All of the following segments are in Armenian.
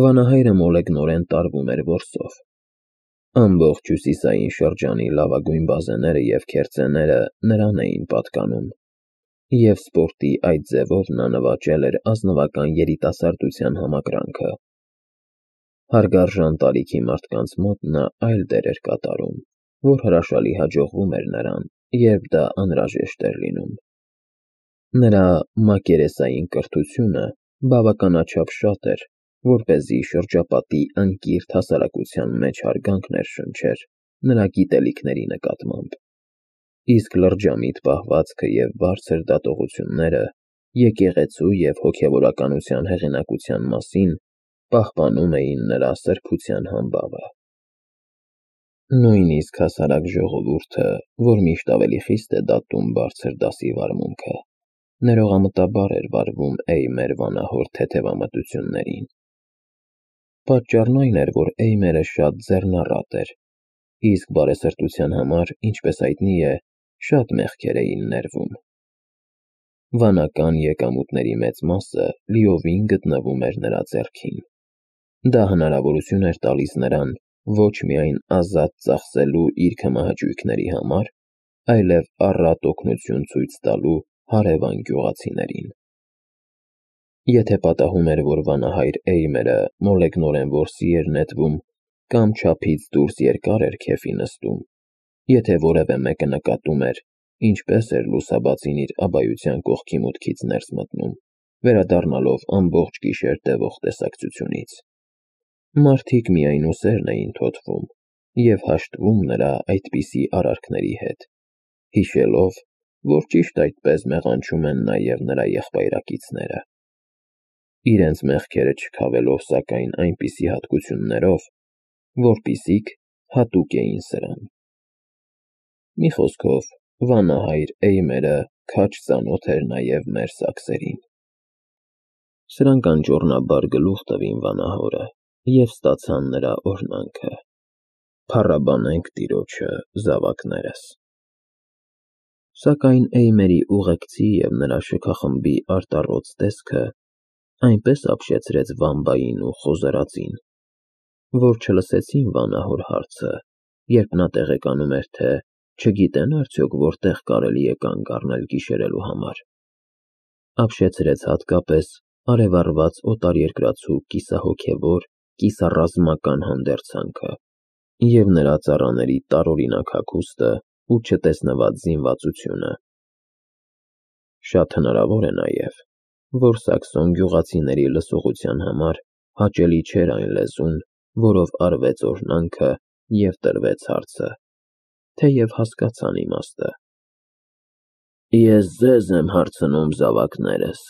Վանահայրը մոլեգնորեն տարվում էր որսով։ Ամբողջ հյուսիսային շրջանի լավագույն բազեները և քերծեները նրան էին պատկանում, և սպորտի այդ ձևով նա նվաճել էր ազնվական երիտասարդության համակրանքը։ Հարգարժան տարիքի մարդկանց մոտ նա այլ դեր էր կատարում, որ հրաշալի հաջողվում էր նրան, երբ դա անհրաժեշտ էր լինում։ Նրա մակերեսային կրթությունը բավականաչափ շատ էր, որպեսզի շրջապատի անկիրթ հասարակության մեջ հարգանք ներշնչեր նրա գիտելիքների նկատմամբ, իսկ լրջամիտ պահվածքը և բարձր դատողությունները եկեղեցու և հոգևորականության հեղինակության մասին պահպանում էին նրա սրբության համբավը։ Նույնիսկ հասարակ ժողովուրդը, որ միշտ ավելի խիստ է դատում բարձր դասի վարմունքը, ներողամտաբար էր վարվում Էյմեր վանահոր թեթևամտություններին։ Պատճառն այն էր, որ Էյմերը շատ ձեռնառատ էր, իսկ բարեսրտության համար, ինչպես հայտնի է, շատ մեղքեր էին ներվում։ Վանական եկամուտների մեծ մասը լիովին գտնվում էր նրա ձեռքին։ Դա հնարավորություն էր տալիս նրան ոչ միայն ազատ ծախսելու իր քմահաճույքների համար, այլև առատ օգնություն ցույց տալու հարևան գյուղացիներին։ Եթե պատահում էր, որ վանահայր Էյմերը մոլեգնորեն որսի էր նետվում կամ չափից դուրս երկար էր քեֆի նստում, եթե որևէ մեկը նկատում էր, ինչպես էր լուսաբացին իր աբայության կողքի մուտքից ներս մտնում, վերադառնալով ամբողջ գիշեր տևող տեսակցությունից, մարդիկ միայնուսերն էին թոթվում և հաշտվում նրա այդպիսի արարքների հետ, հիշելով, որ ճիշտ այդպես մեղանչում են նաև նրա եղբայրակիցները, իրենց մեղքերը չքավելով սակայն այնպիսի հատկություններով, որպիսիք հատուկ էին սրան։ Մի խոսքով, վանահայր Էյմերը քաջ ծանոթ էր նաև մեր սաքսերին։ Սրանք անճոռնաբար գլուխ տվին վանահորը և ստացան նրա օրհնանքը. «Փառաբանենք Տիրոջը, զավակներս»։ Սակայն Էյմերի ուղեկցի և նրա շքախմբի արտառոց տեսքը այնպես ապշեցրեց Վամբային ու խոզարածին, որ չլսեցին վանահոր հարցը, երբ նա տեղեկանում էր, թե չգիտեն արդյոք որտեղ կարելի է կանգ առնել գիշերելու համար։ Ապշեցրեց հատկապես արևառված օտարերկրացու կիսահոգևոր, կիսառազմական հանդերձանքը և նրա ծառաների տարօրինակ հագուստը ու չտեսնված զինվածությունը։ Շատ հնարավոր է նաև, որ սաքսոն գյուղացիների լսողության համար հաճելի չէր այն լեզուն, որով արվեց օրհնանքը և տրվեց հարցը, թեև հասկացան իմաստը։ «Ես ձեզ եմ հարցնում, զավակներս»,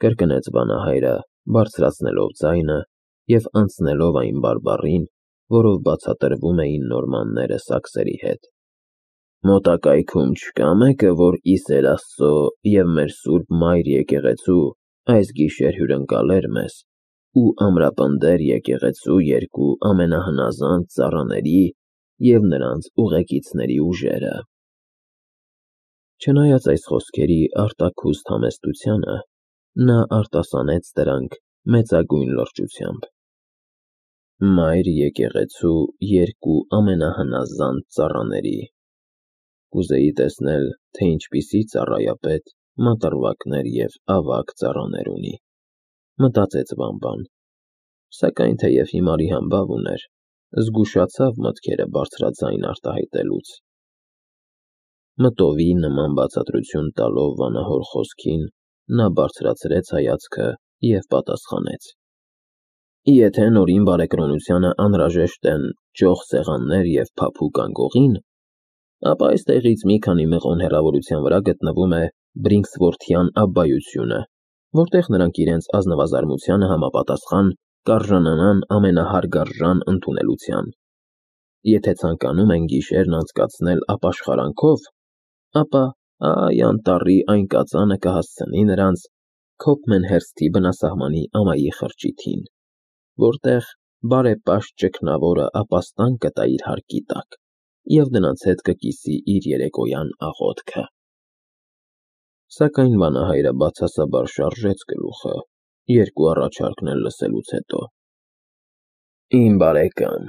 կրկնեց վանահայրը, բարձրացնելով ձայնը և անցնելով այն բարբառին, որով բացատրվում էին նորմանները սաքսերի հետ։ «Մոտակայքում չկա՞ մեկը, որ իսեր Աստծո և մեր Սուրբ Մայր եկեղեցու այս գիշեր հյուրընկալեր մեզ ու ամրապնդեր եկեղեցու երկու ամենահնազանդ ծառաների և նրանց ուղեկիցների ուժերը»։ Չնայած այս խոսքերի արտաքուստ համեստությանը, նա արտասանեց դրանք մեծագույն լրջությամբ։ «Մայր եկեղեցու երկու ամենահնազանդ ծառաների… Կուզեի տեսնել, թե ինչպիսի ծառայապետ մատռվակներ և ավագ ծառաներ ունի», մտածեց Վամբան, սակայն թեև հիմարի համբավ ուներ, զգուշացավ մտքերը բարձրաձայն արտահայտելուց։ Մտովի նման բացատրություն տալով վանահոր խոսքին, նա բարձրացրեց հայացքը և պատասխանեց. «Եթե նորին բարեկրոնությանը անհրաժեշտ են ճոխ սեղաններ և փափուկ անկողին, ապա այստեղից մի քանի մղոն հեռավորության վրա գտնվում է Բրինքսվորթյան աբբայությունը, որտեղ նրանք իրենց ազնվազարմությանը համապատասխան կարժանանան ամենահարգարժան ընդունելության։ Եթե ցանկանում են գիշերն անցկացնել ապաշխարանքով, ապա այ անտառի այն կածանը կհասցնի նրանց Քոփմենհերսթի բնասահմանի ամայի խրճիթին, որտեղ բարեպաշտ ճգնավորը ապաստան կտա իր հարկի տակ և նրանց հետ կկիսի իր երեկոյան աղոթքը»։ Սակայն վանահայրը բացասաբար շարժեց գլուխը, երկու առաջարկն էլ լսելուց հետո, Իմ բարեկամ,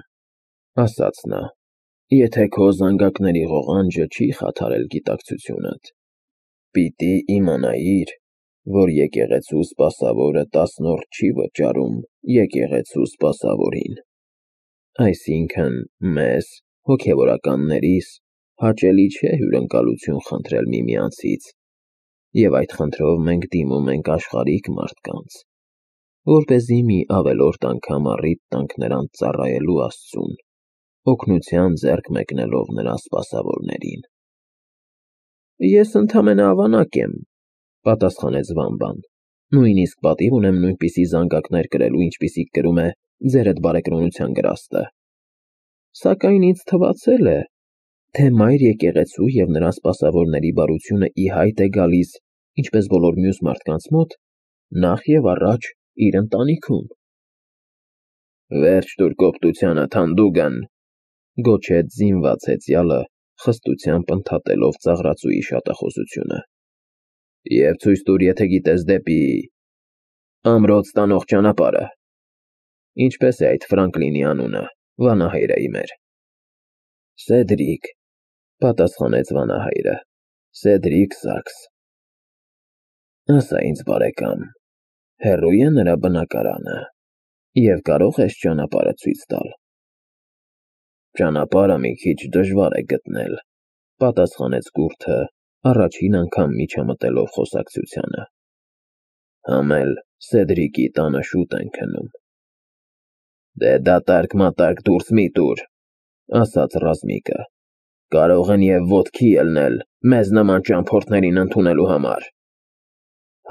ասաց նա, եթե քո զանգակների ղողանջը չի խաթարել գիտակցությունդ, պիտի իմանայիր, որ եկեղեցու սպասավորը տասնորդ չի վճարում եկեղեցու սպասավորին։ Այսինքն մեզ, հոգևորականներիս, հաճելի չէ հյուրընկալություն խնդրել միմյանցից, և այդ խնդրով մենք դիմում ենք աշխարհիկ մարդկանց, որպեսզի մի ավելորդ անգամ առիթ տանք նրանց ծառայելու Աստծուն, օգնության ձեռք մեկնելով նրա սպասավորներին։ Ես ընդամենը ավանակ եմ, պատասխանեց Վամբան, նույնիսկ պատիվ ունեմ նույնպիսի զանգակներ կրելու, ինչպիսիք կրում է ձերդ բարեկրոնության գրաստը։ Սակայն ինձ թվացել է, թե մայր եկեղեցու և նրա սպասավորների բարությունը ի հայտ է գալիս, ինչպես բոլոր մյուս մարդկանց մոտ, նախ և առաջ իր ընտանիքում։ Վերջ տուր կոպտությանդ, հանդուգն, գոչեց զինված հեծյալը, խստությամբ ընդհատելով ծաղրածուի շատախոսությունը, և ցույց տուր, եթե գիտես դեպի ամրոց տանող ճանապարհը։ Ինչպես է այդ Ֆրանկլինի անունը, վանահայրը իմեր։ Սեդրիկ, պատասխանեց վանահայրը, Սեդրիկ Սաքս։ Ասա ինձ, բարեկամ, հեռո՞ւ է նրա բնակարանը, և կարող ես ճանապարհը ցույց տալ։ Ճանապարհը մի քիչ դժվար է գտնել, պատասխանեց գուրդը, առաջին անգամ միջամտելով խոսակցությանը։ Համ էլ Սեդրիկի տանը շուտ են քնում։ Դե դատարկ-մատարկ դուրս մի տուր, ասաց Ռազմիկը, կարող են և ոտքի ելնել մեզ նման ճամփորդներին ընդունելու համար։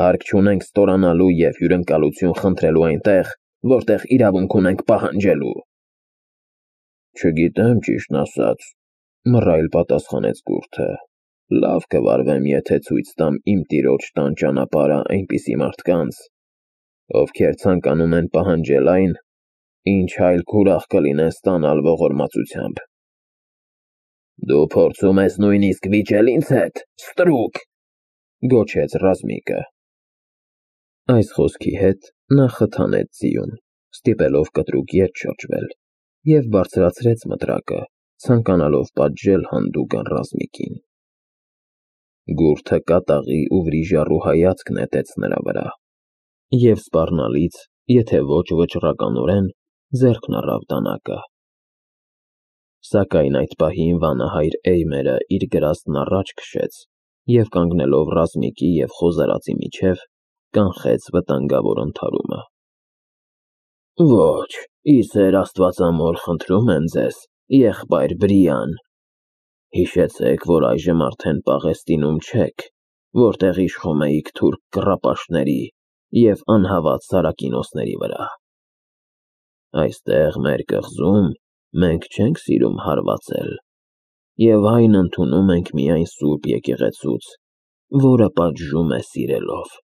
Հարկ չունենք ստորանալու և հյուրընկալություն խնդրելու այնտեղ, որտեղ իրավունք ունենք պահանջելու։ Չգիտեմ, ճիշտն ասած, մռայլ պատասխանեց գուրդը, լավ կվարվեմ, եթե ցույց տամ իմ տիրոջ տան ճանապարհը այնպիսի մարդկանց, ովքեր ցանկանում են պահանջել այն, ինչ հայելք ուրախ կլինեն ստանալ ողորմածությամբ։ Դու փորձում ես նույնիսկ վիճել ինձ հետ, ստրուկ, գոչեց Ռազմիկը։ Այս խոսքի հետ նա խթանեց ձիուն, ստիպելով կտրուկ ետ շրջվել, և բարձրացրեց մտրակը, ցանկանալով պատժել հանդուգն Ռազմիկին։ Գուրդը կատաղի ու վրիժառու հայացք նետեց նրա վրա, և սպառնալից, եթե ոչ վճռականորեն, ձեռքն առավ դանակը։ Սակայն այդ պահին վանահայր Էյմերը իր գրաստն առաջ քշեց և կանգնելով Ռազմիկի և խոզարածի միջև, կանխեց վտանգավոր ընդհարումը։ Ոչ, ի սեր Աստվածամոր, խնդրում եմ ձեզ, եղբայր Բրիան, հիշեցեք, որ այժմ արդեն Պաղեստինում չեք, որտեղ իշխում էիք թուրք կռապաշտների և անհավատ սարակինոսների վրա։ Այստեղ մեր կղզում մենք չենք սիրում հարվածել, և այն ընդունում ենք միայն Սուրբ Եկեղեցուց, որը պատժում է սիրելով։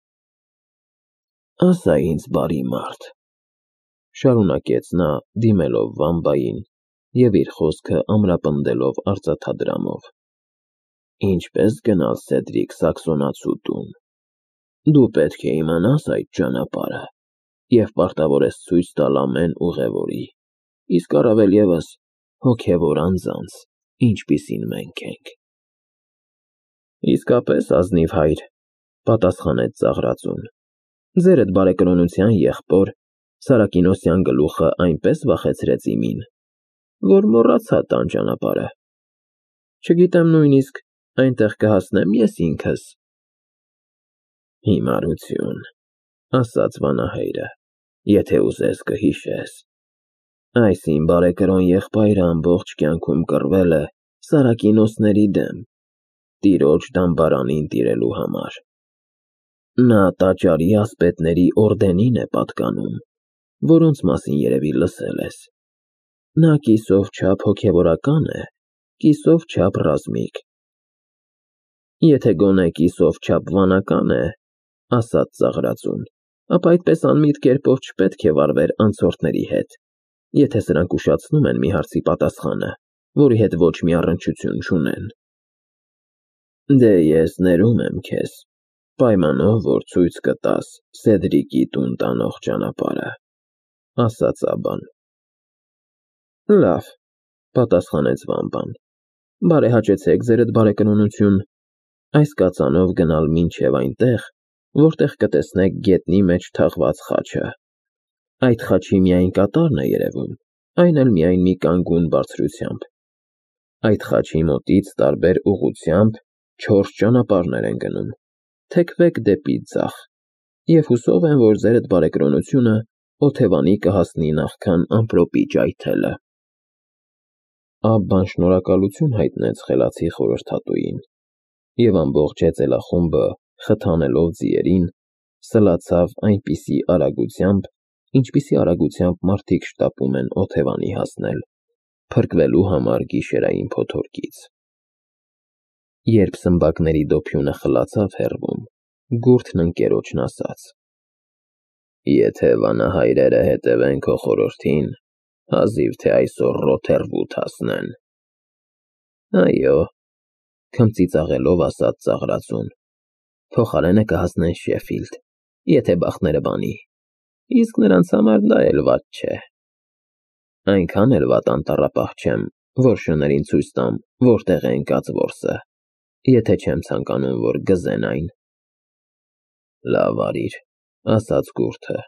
Ասա ինձ, բարի մարդ, շարունակեց նա, դիմելով Վամբային և իր խոսքը ամրապնդելով արծաթադրամով, ինչպե՞ս գնալ Սեդրիկ Սաքսոնացու տուն։ Դու պետք է իմանաս այդ ճանապարհը և պարտավոր ես ցույց տալ ամեն ուղևորի, իսկ առավել ևս հոգևոր անձանց, ինչպիսին մենք ենք։ Իսկապես ազնիվ հայր, պատասխանեց ծաղրածուն, ձերդ բարեկրոնության եղբոր Սարակինոսյան գլուխը այնպես վախեցրեց իմին, որ մոռացա տան ճանապարհը։ Չգիտեմ նույնիսկ այնտեղ կհասնեմ ես ինքս։ Հիմարություն, ասաց վանահայրը, եթե ուզես կհիշես։ Այս իմ բարեկրոն եղբայրը ամբողջ կյանքում կռվել է սարակինոսների դեմ, տիրոջ դամբարանին տիրելու համար։ Նա տաճարի ասպետների օրդենին է պատկանում, որոնց մասին երևի լսել ես։ Նա կիսով չափ հոգևորական է, կիսով չափ ռազմիկ։ Եթե գոնե կիսով չափ վանական է, ասաց ծաղրածուն, ապա այդպես անմիտ կերպով չպետք է վարվեր անցորդների հետ, եթե սրանք ուշացնում են մի հարցի պատասխանը, որի հետ ոչ մի առնչություն չունեն։ Դե ես ներում եմ քեզ, պայմանով, որ ցույց կտաս Սեդրիկի տուն տանող ճանապարհը, ասաց Աբան։ Լավ, պատասխանեց Վամբան։ Բարեհաճեցեք ձերդ բարեկնոնություն։ Այս կածանով գնալ մինչև այնտեղ, որտեղ կտեսնեք գետնի մեջ թաղված խաչը։ Այդ խաչի միայն կատարն է երևում, այն էլ միայն մի կանգուն բարձրությամբ։ Այդ խաչի մոտից տարբեր ուղղությամբ 4 ճանապարհներ են գնում։ Թեքվեք դեպի ձախ, և հուսով եմ, որ ձերդ բարեկրոնությունը օթևանի կհասնի նախքան ամպրոպի ջայթելը։ Աբբան շնորհակալություն հայտնեց խելացի խորհրդատուին, և ամբողջ հեծելախումբը, խթանելով ձիերին, սլացավ այնպիսի արագությամբ, ինչպիսի արագությամբ մարդիկ շտապում են օթևանի հասնել, փրկվելու համար գիշերային փոթորկից։ Երբ սմբակների դոփյունը խլացավ հեռվում, գուրդն ընկերոջն ասաց. Եթե վանահայրերը հետևեն քո խորհրդին, հազիվ թե այսօր Ռոթերվութ հասնեն։ Այո, քմծիծաղելով ասաց ծաղրածուն, փոխարենը կհասնեն Շեֆիլդ, եթե բախտները բանի, իսկ նրանց համար դա էլ վատ չէ։ Այնքան էլ վատ անտառապահ չեմ, որ շներին ցույց տամ, որտեղ է ընկած որսը, եթե չեմ ցանկանում, որ գզեն այն։ Լավ արիր, ասաց գուրդը։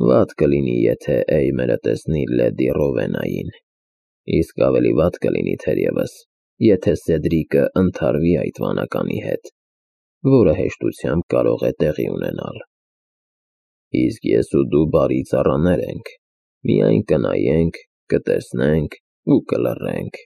Վատ կլինի, եթե Էյմերը տեսնի լեդի Ռովենային, իսկ ավելի վատ կլինի թերևս, եթե Սեդրիկը ընդհարվի այդ վանականի հետ, որը հեշտությամբ կարող է տեղի ունենալ։ Իսկ ես ու դու բարի ծառաներ ենք, միայն կնայենք, կտեսնենք ու կլռենք։